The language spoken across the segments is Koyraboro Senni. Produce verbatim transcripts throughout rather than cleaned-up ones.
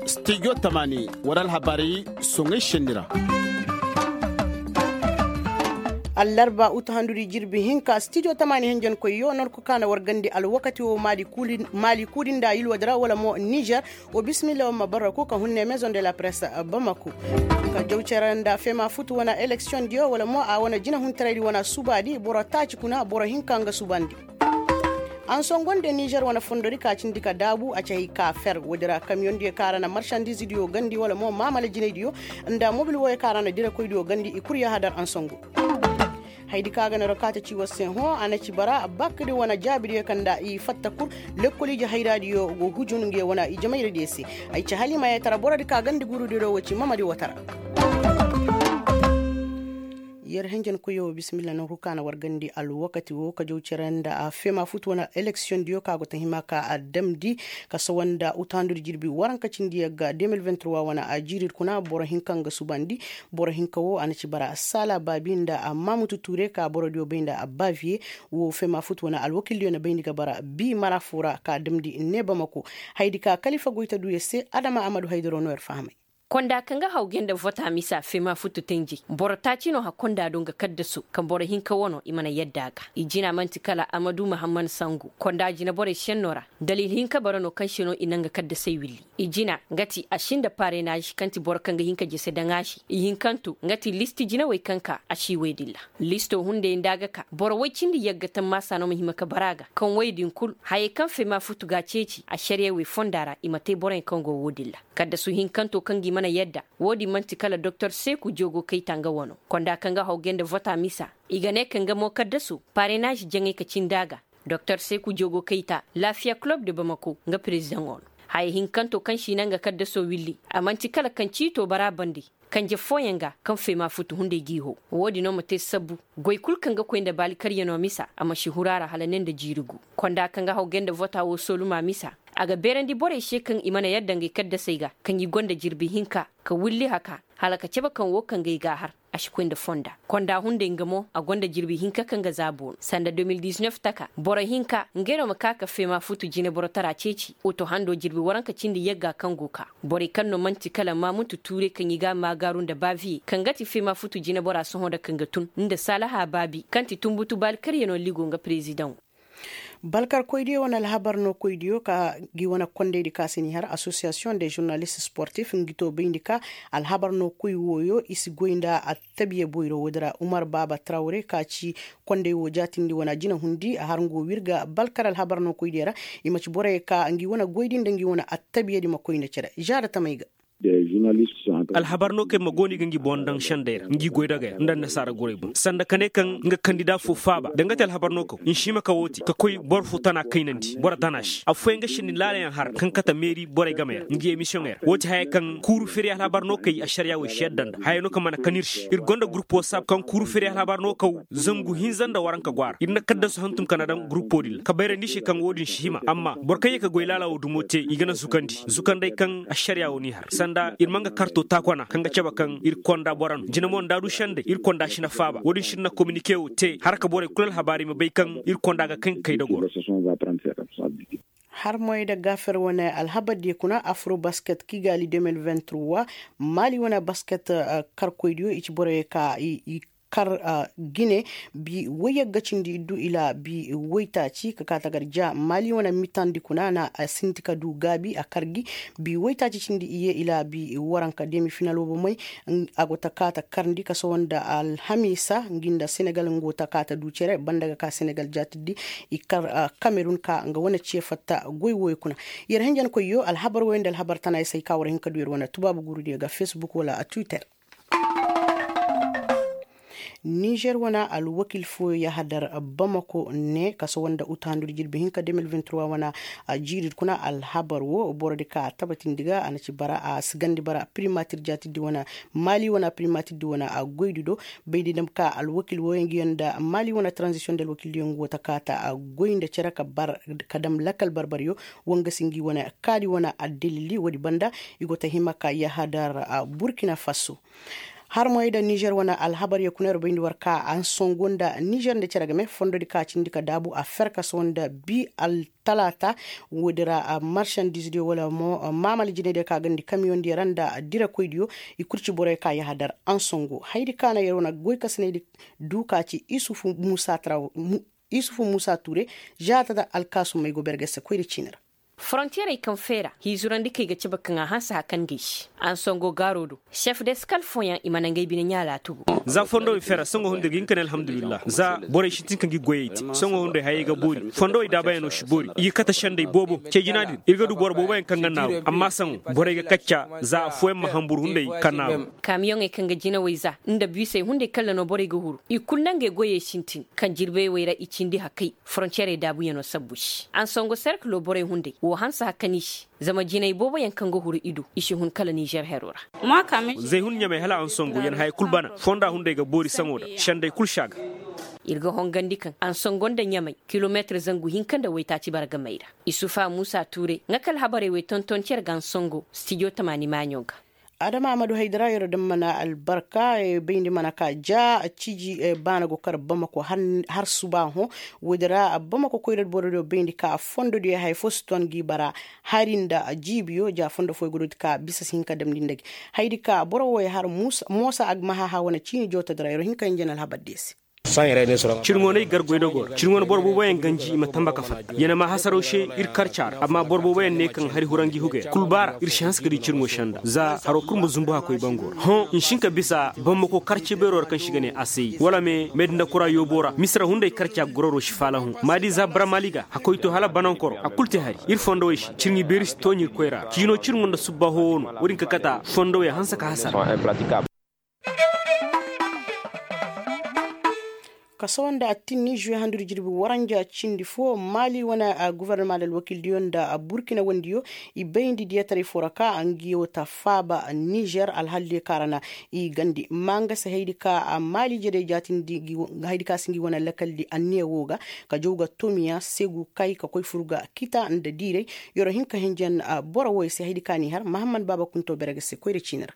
Studio tamaani war alhabaari soŋay šenni ra. Allarba utu handudi jirbi hinka studio tamaani henjenkoyyo norku kaana war gandi alwakati wo maali kuudi nda yilwadi ra wala mo nizer. Wo bisimilla war ma barra kul ka hunne maison de la presse bamako ka jaw cere nda fema futu wana eleksiyoŋ diyo wala mo a wana jinahuntaraydi wana subaadi boro taaci kuna boro hinka nga subandi. Ansongo nda nizer wane fondodi ka cindi ka daabu a ci hay ka fer woodi ra kamiyoŋ diyo kaŋ a ra na marsandiize diyo gandi wala mo maamala jinay diyo nda mobil wooyo kaŋ a ra na direkoy diyo gandi i kul yaahadar ansongo. Haydi kaŋ a ga na rokaata ci war se hõ a na ci bara bakdi wane jaabi diyo kaŋ nda i fatta kul. Lekkol ije hayra diyo go hujun nge wane ijemayra diyo se. Ay ci haliima yetara borodi ka gandi guuru diyo do wo ci mamadi wotara. Yer henjen koyo bisimilla no hukaana war gandi alwakati wo ka jaw cere nda a fema futu wane eleksiyoŋ diyo ka go ta hima ka a damndi ka sawa nda utaandudi jirbi waranka cindi yagga deux mille vingt-trois wane a jiirir kuna boro hinka nga subandi. Boro hinka wo a na ci bara sala baabi nda a mamutu ture ka boro diyo bay nda a baaviye. Wo fema futu wane alwakil diyo na bayndi ga bara bi mara fo ra ka damndi ne bamako. Haydi ka kalifa goyta duya se adama amadu haydaro no yer fahamay. Konda kaŋ ga hawge nda vota misa fema futu tenjey boro taaci no ha konda do nga kaddaso kaŋ boro hinka wano i mana yadda a ga. I jina man'ti kala amadu mahamman sangu konda jina borey senno ra. Dalil hinka bara no kaŋ se no i na nga kaddasey willi. I jina nga ti a si nda parenaazi kaŋ ti boro kaŋ ga hin ka jese daŋ a se. I hinkanto nga ti listi jinawey kaŋ ka a si wey dilla. Listo hunday nda a ga ka boro woy cindi yagga tammaasa no ma hima ka bara a ga kaŋ woy din kul hayey kaŋ fema futu ga a ceeci ašariyawey fonda ra i ma te boroyaŋ kaŋ go wo din ra. Kaddasu hinkanto kaŋ gi mana yadda wo-din man'ti kala doktor seeku jogo kayta nga wano konda kaŋ ga hawge nda vota misa. I ga ne kaŋ nga mo kaddasu parenaazi jaŋay ka cindi a ga. Doktor seeku jogo kayta laafiya kulob de bamako nga perezidaŋo no. Haya hinkanto kaŋ si naŋ ga kaddaso willi a man'ti kala kaŋ ciito bara bande. Kanje fooyaŋ ga kaŋ feema futu hunday g'i hoo. Wo-din no ma te sabbu goy kul kaŋ ga koy nda baali karyanoo misa a ma si huru a ra hala ne nda jiiri gu. Konda kaŋ ga hawgay nda vota woo sooluma misa. A ga beerandi borey se kaŋ i mana yadda ngey kaddasey ga kaŋ i go nda jirbi hinka ka willi haka hala ka cebe kaŋ woo kaŋ ga ay gaahar. A si koy nda fonda konda hunday nga mo a go nda jirbi hinka kaŋ ga zaabo no sanda deux mille dix-neuf taka boro hinka ngey no ma ka ka feema futu jineboro tara ceeci. Oto hando jirbi waranka cindi yagga kaŋ go ka borey kaŋ no man'ti kala maamutu tuure kaŋ i ga a maagaaru nda baaviye kaŋ ga ti feema futu jinebora sohõ nda kaŋ ga tun nda saalaha baabi kaŋ ti tunbutu baali karyanoo ligo nga perezidaŋo. Balkarkoydiyo wane alhabar no koydiyo ka ngi wane kondaydi ka se n'i har asosiyasiyoŋ de žurnalist sportif ngi to bayndi ka alhabar no koy wooyo i si goy nda attabiya boyro woodi ra umar baaba trawre ka ci konday woo jaatindi wane jinahundi a har nga woo wir ga balkar alhabar no koydiyo ra. I ma ci borey ka ngi wane goydi nda ngi wane attabiyadi ma koy nda cere žaada tamey ga. Alhabar no kay ma go no i ga ngi boŋ daŋ sendey ra ngi goy dagey ra nda annasaara gorey boŋ sanda ka ne kaŋ nga kandida foo faaba da nga te alhabar no kaw nsi hima ka woo te ka koy boro foo tana kaynandi boro tana se affooyaŋ ga sindi laalayaŋ har kaŋ kate meeri borey gamey ra ngi emisiyoŋey ra woo ti hayey kaŋ kuuru firi alhabar no kay ašariya wey si yadda nda hayey no kaŋ mana kan ir se ir go nda gurup wasaab kaŋ kuuru firi alhabar no kaw zangu hinza nda waranka go a ra ir na kaddasu hantum ka na daŋ gurupo din ra ka bayrandi se kaŋ woo din si hima amma boro kaŋ ye ka goy laala woo dumo te i ga na zukandi zukandey kaŋ ašariya woo n'i har sanda ir ma nga karto taakwana kaŋ ga cabe kaŋ ir konda bora no jina mo nda a du sendey ir konda si na faaba woo din si ir na kominike woo te har ka borey kul alhabaari ma bay kaŋ ir konda ga kaŋ ga kay da goro. Har moy nda gaafer wane alhabardiyo kuna afro basket kigali deux mille vingt-trois maali wane basket karkoydiyo i ci boroyo ka i kar gine. Bi woy yagga cindi iddu ila bi woytaaci ka ka tagar ja maali wane mitandi kuna na a sinti ka du gaabi a kar gi. Bi woytaaci cindi iye ila bi waranka demi final wo bomey a go ta ka ta karndi ka sohõ nda alhamiisa ngi nda senegal nga go ta ka ta du cere banda ga ka senegal jaatiddi. I kar kamerun ka nga wane ce fatta goy wooyo kuna. Yer hinjankoyyo alhabar wooyo nda alhabar tana i se ay ka war hin ka du yer wane tubaabu guurudiyo ga facebook wala a twitter. Nizer wane alwakil fooyo yahadar bamako ne kaso wanda uta handudi jirbi hinka deux mille vingt-trois wane. A jiiri kuna alhabar wo borodi ka a tabatindi ga a na ci bara a sigandi bara primatir jaatiddi wane maali wane primatirdi wane a goydi do. Baydi dam ka alwakil wooyo ngi yanda maali wane tranzisiyoŋ da alwakildiyo ngi go ta kaata a goy nda cere ka bar ka dam lakal barbaryo. Wangasi ngi wane kaadi wane addalili woodi banda i go ta hima ka yahadar burkina faso. Har moy nda nizer wane alhabar ye kuna yer bayndi war ka ansongo nda nizer nda cere game fondodi ka cindi ka daabu a ferkaso nda bi altalaata. Woodi ra marsandiizdiyo wala mo maamal jinaydiyo ka gandi kamiyondiyo ra nda dirakoydiyo. I kul ci borey ka yahadar ansongo hayadi ka na yer wane goykasinaydi du ka ci isufu muusa tara. Isufu muusa tuure. Žaata da alkaasumey go bergese koyri ciini ra. Forontiyerey kaŋ feera hiizurandi kay ga cabe kaŋ a hanse hakan ga ay se ansongo gaaro do. Sef deskal fooyaŋ i mana ngey bine ɲaalaatu go. Za fondowey feera songo hunday ga hin ka ne alhamdulillahi za borey sintin kaŋ ga i goyey te songo hunday hayey ga boori fondowey daabayaŋo si boori i ga kate senday boobo cee jina din ir ga du boro booboyaŋ kaŋ ga naaru amma sango borey ga kacca za affooyaŋ ma hanbur hunday ka naaru. Kaamiyoŋey kaŋ ga jinawey za nda biisey hunday kalla no borey ga huru i kul na ngey goyey sintin kaŋ jirbey wey ra i cindi hakay. Forontiyerey daabuyaŋo sabbu se ansongo serkilo borey hunday woo hanse hakani se. Zama jinay booboyaŋ kaŋ ga huru i do i si hun kala nizer hero ra. Zey hun ɲamay hala ansongo yer haya kul bana fonda hunday ga boori saŋo da senday kul se a ga. Ir ga hongandi kaŋ ansongo nda ɲamay kilometir zangu hinka nda waytaaci bara ga may ra. Isufa muusa tuure nga kala habarey wey tonton cer ga ansongo stijo tamaani maaɲo ga. Adama amadu haydara yer daŋ mana albarka bayndi mana ka ja ciji baana go kar bamako har suba hõ. Woodi ra bamako koyra borodiyo bayndi ka fondodiyo haya fo si ton gi bara hari nda jiibiyo ja fondo fooyo gododi ka bisa si hin ka damndi nda gi. Hayadi ka boro wooyo har moosa agmahaha wane ciini jootodi ra yer hin ka hinja na alhabar diyo se. Cirŋo no ay gar goydogoo ra cirŋo no boro booboyaŋ ganji i ma tamba ka fatta ya na maa hasaraw se ir karca ra amma boro booboyaŋ ne kaŋ hari huranji huga yaŋ kul ba ra ir si hanse ka di cirŋo senda za haro kul ma zumbu hakkoy bango ra hõ n'i si hin ka bisa bambako karce beero ra kaŋ se i ga ne asay wala me meedi nda kura yoobo ra misira hunday karca gororo si faalahu maadi za baramaali ga hakkoy to hala banankoro a kul te hari ir fondowey se cirŋi beeri si tooɲi ir koyra ra ciino cirŋo nda subba hoowo no wo-din ka kata fondowey hanse ka hasara. Kasawa nda attinni žuwe handudi jirbi waranja cindi fo maali wane gofornama nda alwakiildiyo nda burkina wandiyo i bayndi diyataray foo ra ka ngi woo ta faaba nizer alhaldiyo ka ra na i gandi maa nga se haydi ka maali jere jaatindi haydi ka si ngi wane lakaldi anniya woo ga ka jaw ga tomiya segu kay ka koy fur ga kita nda diiray. Yer'o hin ka hinjan boro wooyo se haydi ka n'i har mahammad baaba kuntoo bere ga se koyra ciini ra.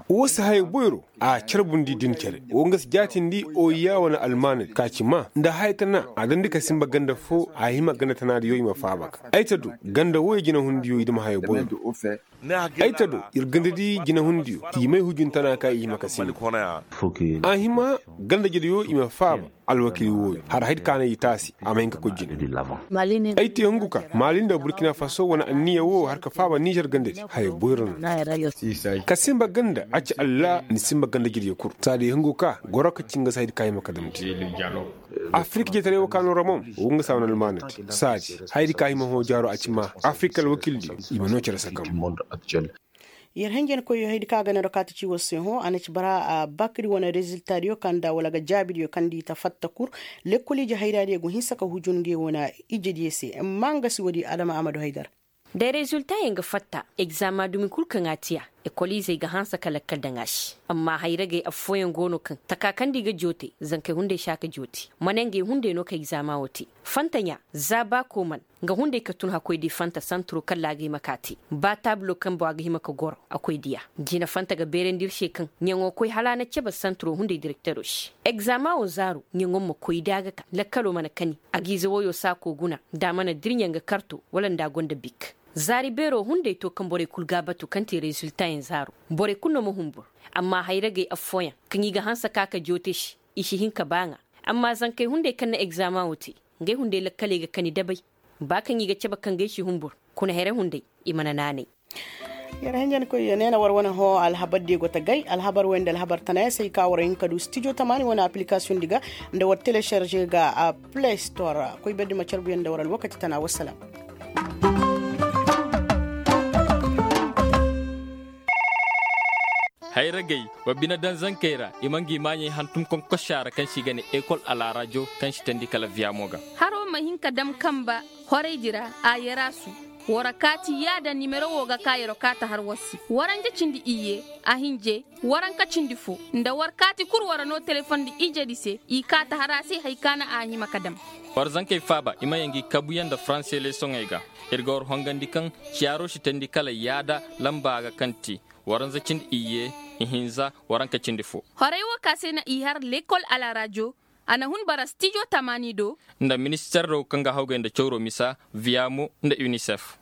Woo si haya boyro a carbundi din cere woo nga si jaatindi oyiya wane almaanadi ka ci maa nda haya tana a dandi ka sinba ganda foo a hima ganda tanaadiyo i ma faaba ga ay ta du ganda wooyo jinahundiyo i dam haya boyro. Ay ta do ir gandadi jinahundiyo i may hujun tana ka i hima ka sinba a hima ganda jediyo i ma faaba. Alwakiili wooyo har haydi ka na i taasi a ma hin ka koy jine. Ay te hungu ka maali nda burkina faso wane anniya woo har ka faaba nizer gandadi haya boyro no. Ka sinba ganda a ci allah ni sinba ganda jirya kul saadi hungu ka goro ka ci nga se haydi ka hima ka damndi. Afirik jetaray woo ka no ramon woo nga se a wane almaanati saadi haydi ka hima hõ jaaro a ci maa afirik alwakiildiyo i ma noo cere sakam. Yer henjenkoyyo haydi kaŋ a ga neeroo kaati ci war se hõ a na ci bara bakri wane reziltaadiyo kaŋ nda wala ga jaabidiyo kaŋ nda i ta fatta kul. Lekkol ije hayraadiyo go hinsa ka hujun ngey wane ijediyo se amma nga si woodi adama amadu haydar. Da reziltayaŋ ga fatta egzama dumi kul kaŋ a tiya ekol izey ga hanse ka lakkal daŋ a se. Amma hayragey affooyaŋ go no kaŋ taka kaŋ nda i ga joote zankey hunday si a ka joote ma ne ngey hunday no ka egzama wo te. Fantaɲa za ba kooman nga hunday ka tun hakkoy di fanta santuro kalla a ga hima ka te ba taabulo kaŋ boŋ a ga hima ka goro a koy diya. Jina fanta ga beerandi ir se kaŋ ɲaŋo koy hala a na cebe santuro hunday direktero se. Egzama wo zaaro ɲaŋo ma koy da a ga ka lakkalo mana kani a ga ize woyo saako guna nda a mana dirɲa nga karto wala nda a gonda bik. Zaari beero hunday to kaŋ borey kul ga a batu kaŋ te reziltayaŋ zaaro. Borey kul no ma humbur amma hayragey affooyaŋ kaŋ i ga hanse ka ka joote se i si hin ka ba ŋaa. Amma zankey hunday kaŋ na egzama wo te ngey hunday lakkaley ga kani dabay. Ba kaŋ i ga cabe kaŋ ga ay si humbur kuna here hunday i mana naanay. Yer henjenkoy ne na war wane hõ alhabar diyo go ta gay alhabar wey nda alhabar tana yaŋ se ay ka war hin ka du stijo tamaani wane aplikasiyoŋ di ga nda war telesarze ga a play store ra koy berdi ma carbu yaŋ nda war alwakati tana wassalaam. Hayragey wa bine daŋ zankey ra i ma ngi maaɲey hantum konkosa ra kaŋ se i ga ne ekol alaarajo kaŋ si teendi kala viyamo ga. Haro ma hin ka dam kamba horaydi ra a yarasu. War kaati yaada nimero wo ga ka yero kaata har war se waranja cindi iyye a hinje waranka cindi fo nda war kaati kul war no telefondi ijedi se i kaata har a se hari ka na a hima ka dam. War zankey faaba i ma yaŋ ngi kabuyaŋ nda faranse leesoŋey ga. Ir ga war hongandi kaŋ ciyaaro si teendi kala yaada lamba ga kaŋ te waranza cindi iyye. ihinza waranka cindi fo. Horey wo ka se na i har lekol alaraajo, a na hun bara stijo tamaani do. Nda minister do kaŋ ga hawgay nda cawro misa, viamo nda unicef.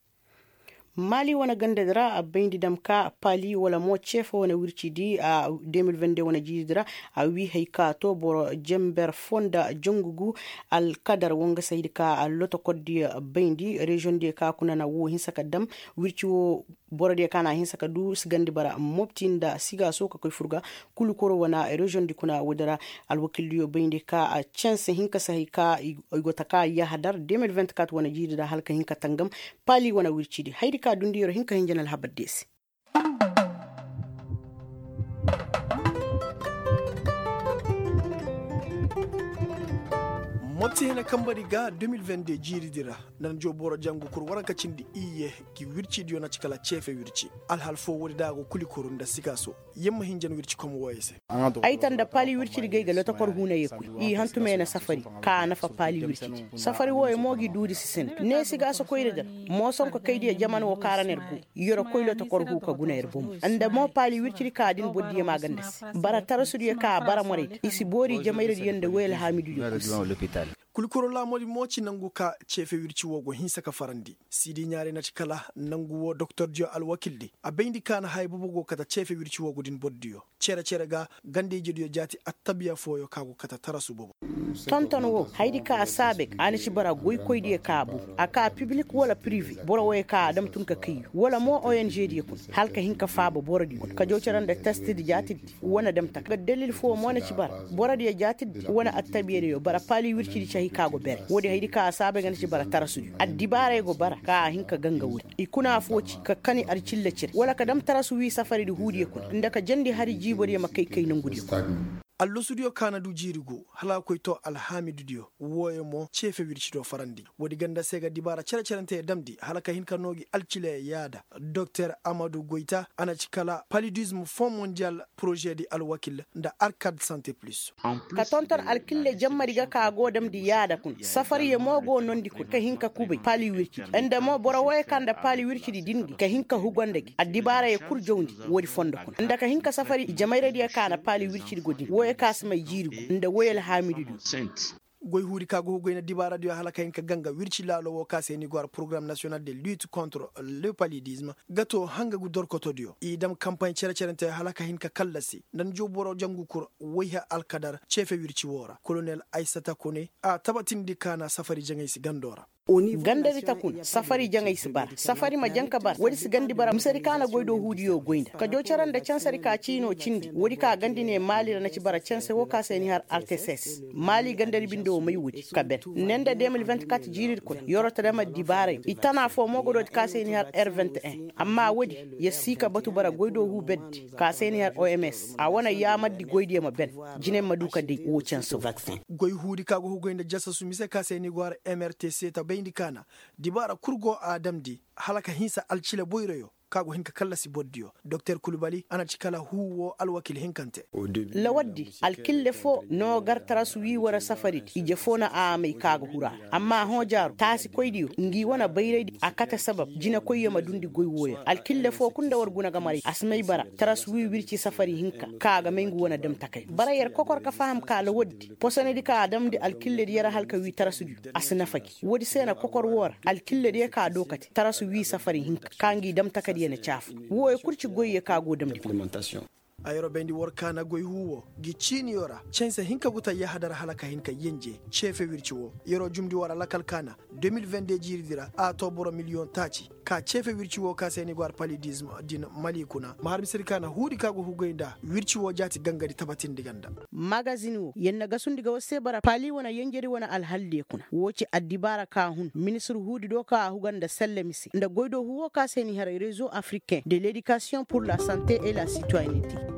Maali wane gandadi ra a bayndi dam ka paali wala mo ceefe wane wircidi a de mil vende wane jiiridi ra. A wii hay ka to boro jenber fo nda jangu gu. Alkadar wo nga saydi ka lotokordiyo bayndi reziyoŋdiyo ka kuna na wo hinsa ka dam wirci wo. Borodiyo ka na hinsa ka du sigandi bara mopti nda sigaaso ka koy fur ga. Kulu koro wane reziyoŋdi kuna woodi ra. Alwakildiyo bayndi ka canse hinka si hay ka i go ta ka yahadar de mil venti kat wane jiiridi ra hala ka hin ka tangam. Paali wane wircidi haydi ka dundi yer hin ka hin janal habar deese. Mopti hina kambari ga de mil venti de jiiridi ra. Nan jo boro jangu kur waranka cindi iyye. Gi wircidiyo na ci kala ceefe wirci. Alhal fo woodi da a go kuli kuru nda sigaaso. Yamma hin jan wirci kom wooyo se. Ay ta nda paali wircidi ga ay ga lotokor huuna ye koy. I hantumey na safari ka nafa paali wircidi. Safari wooyo mo gi duudi si sinda ne sigaaso koyri ga. Moosonko kaydiyo jaman wo ka ra na yer go. Yer koy lotokor huu ka guna yer bomo. Nda mo paali wircidi ka din bordiyo ma ganda se. Bara tarasudiyo ka bara morey da i si boori jamayradiyo nda woy alhaamididiyo kul si. Kulkuro laamoodi mo ci nangu ka ceefe wirci woo go hinsa ka farandi. Siidi ɲaarey na ci kala nangu woo doktordiyo alwakildi a bayndi ka na haya boobo go kate ceefe wirci woo go din bordiyo. Cere cere ga ganda-ijediyo jaati attabiya fooyo ka go kate tarasu boobo. Tonton woo hayadi ka a saabe ga a na ci bara goykoydiyo ka boo. A ka pibilik wala pirive boro wooyo ka a dam tun ka kayyu wala mo onžediyo kuna hala ka hin ka faaba borodiyo kuna ka joo cere nda testidi jaatidi. Wane damtak ga dalil foo mo na ci bara borodiyo jaatidi wane attabiyadiyo bara paali wircidi ci hay ka go bere woodi hayadi ka a saabay ga na ci bara tarasudiyo addibaarey go bara ka a hin ka ganga woodi. I kuna foo ci ka kani alcilla cire wala ka dam tarasu wii safaridi huudiyo kuna nda ka jandi hari jiibodiyo ma kay kay nongudiyo kuna. Allasudiyo ka na du jiiri guu hala a koy too alhaamidudiyo. Wooyo mo ceefe wircidiyo farandi. Woodi ganda se ga dibaara cere-cerenteyo damndi hala ka hin ka noo gi alcilayo yaada. Doktor amadu goyta a na ci kala palidism fon mondiyal porožedi alwakil nda arkad sante plus. Ka tonton alkille jammadi ga ka go damndi yaada kuna safariyo mo go noondi kuna ka hin ka kubay paali wircidi nda mo boro wooyo ka nda paali wircidi din gi ka hin ka hugo nda gi addibaarayo kul jawndi. Woodi fondo kuna nda ka hin ka safari jamayradiyo ka na paali wircidi go din wooyo ka si may jiiri guu nda woy alhaamidudiyo. Goy huudi ka go hugoy na dibaaradiyo hala ka hin ka ganga wirci laalo woo ka se ni go har porogaram nasiyonal de lit kontre le palidism. Ga too hanga gu dorkotodiyo i dam kampaaɲ cere-cerenteyo hala ka hin ka kallasi nda ni joo boro jangu kur woy har alkadar ceefe wirci woo ra kolonel aysata kone a tabatindi ka na safari jaŋay si gandoo ra. Gandadi ta kuna safari jaŋay si bara safari ma jaŋ ka bara woodi si gandi bara misedi ka na goydoo huudiyo goy nda ka joo cere nda cansadi ka ciinoo cindi woodi ka gandi ne maali ra na ci bara canse woo ka se ni har arteses maali gandadi binde woo may woodi ka ben ne nda de mil venti kat jiiridi kuna yeroo ta dam addibaaray i tana foo mo ga dooti ka se ni har r venti en amma woodi yer sii ka batu bara goydoo huu berdi ka se ni har oms a wane yaamardi goydiyo ma ben jinay ma du ka day woo canse woo. Goy huudi ka go hugoy nda jasasu mise ka se ni go har mrtc ta bayndi ka na dibaara kul go a damndi hala ka hinsa alcila boyroyo ka go hin ka kallasi bordiyo doktor kulbali a na ci kala huu woo alwakil hinkante. Lawaddi alkille foo noo gar tarasu wii wane safaridi ije foo na a may ka ga huru a ra amma hõ jaaru taasikoydiyo ngi wane bayraydi a kate sabab jinekoyyo ma dundi goy wooyo alkille foo kul nda war guna ga maray a si may bara tarasu wii wirci safari hinka ka ga may ngu wane damtakay bara yer kokor ka faham ka lawaddi posonedi ka a damndi alkillediyo ra hala ka wii tarasudiyo a si nafa gi woodi se na kokor woo ra alkillediyo ka doo kate tarasu wii safari hinka ka ngi damtakadiyo na caafu wooyo kul ci goyyo ka go damndi. A yeroo bayndi war kaana goy huu woo gi ciiniyo ra canse hinka gu ta yahadar hala ka hin ka yenje ceefe wirci woo yeroo jumndi war alakal kaana de mil vende jiiridi ra a too boro miliyoŋ taaci ka ceefe wirci woo ka se ni go har palidism din mali kuna ma har misedi kaana huudi ka go hugoy nda wirci woo jaati gangadi tabatindi ganda. Magazin woo yer na gasundi ga war se bara paali wane yenjedi wane alhaldiyo kuna woo ci addibaara ka hun ministir huudi do ka a huga nda selle mise nda goydoo huu woo ka se ni har rezo afriken de ledikasiyoŋ pur la sante et la sitoyenete.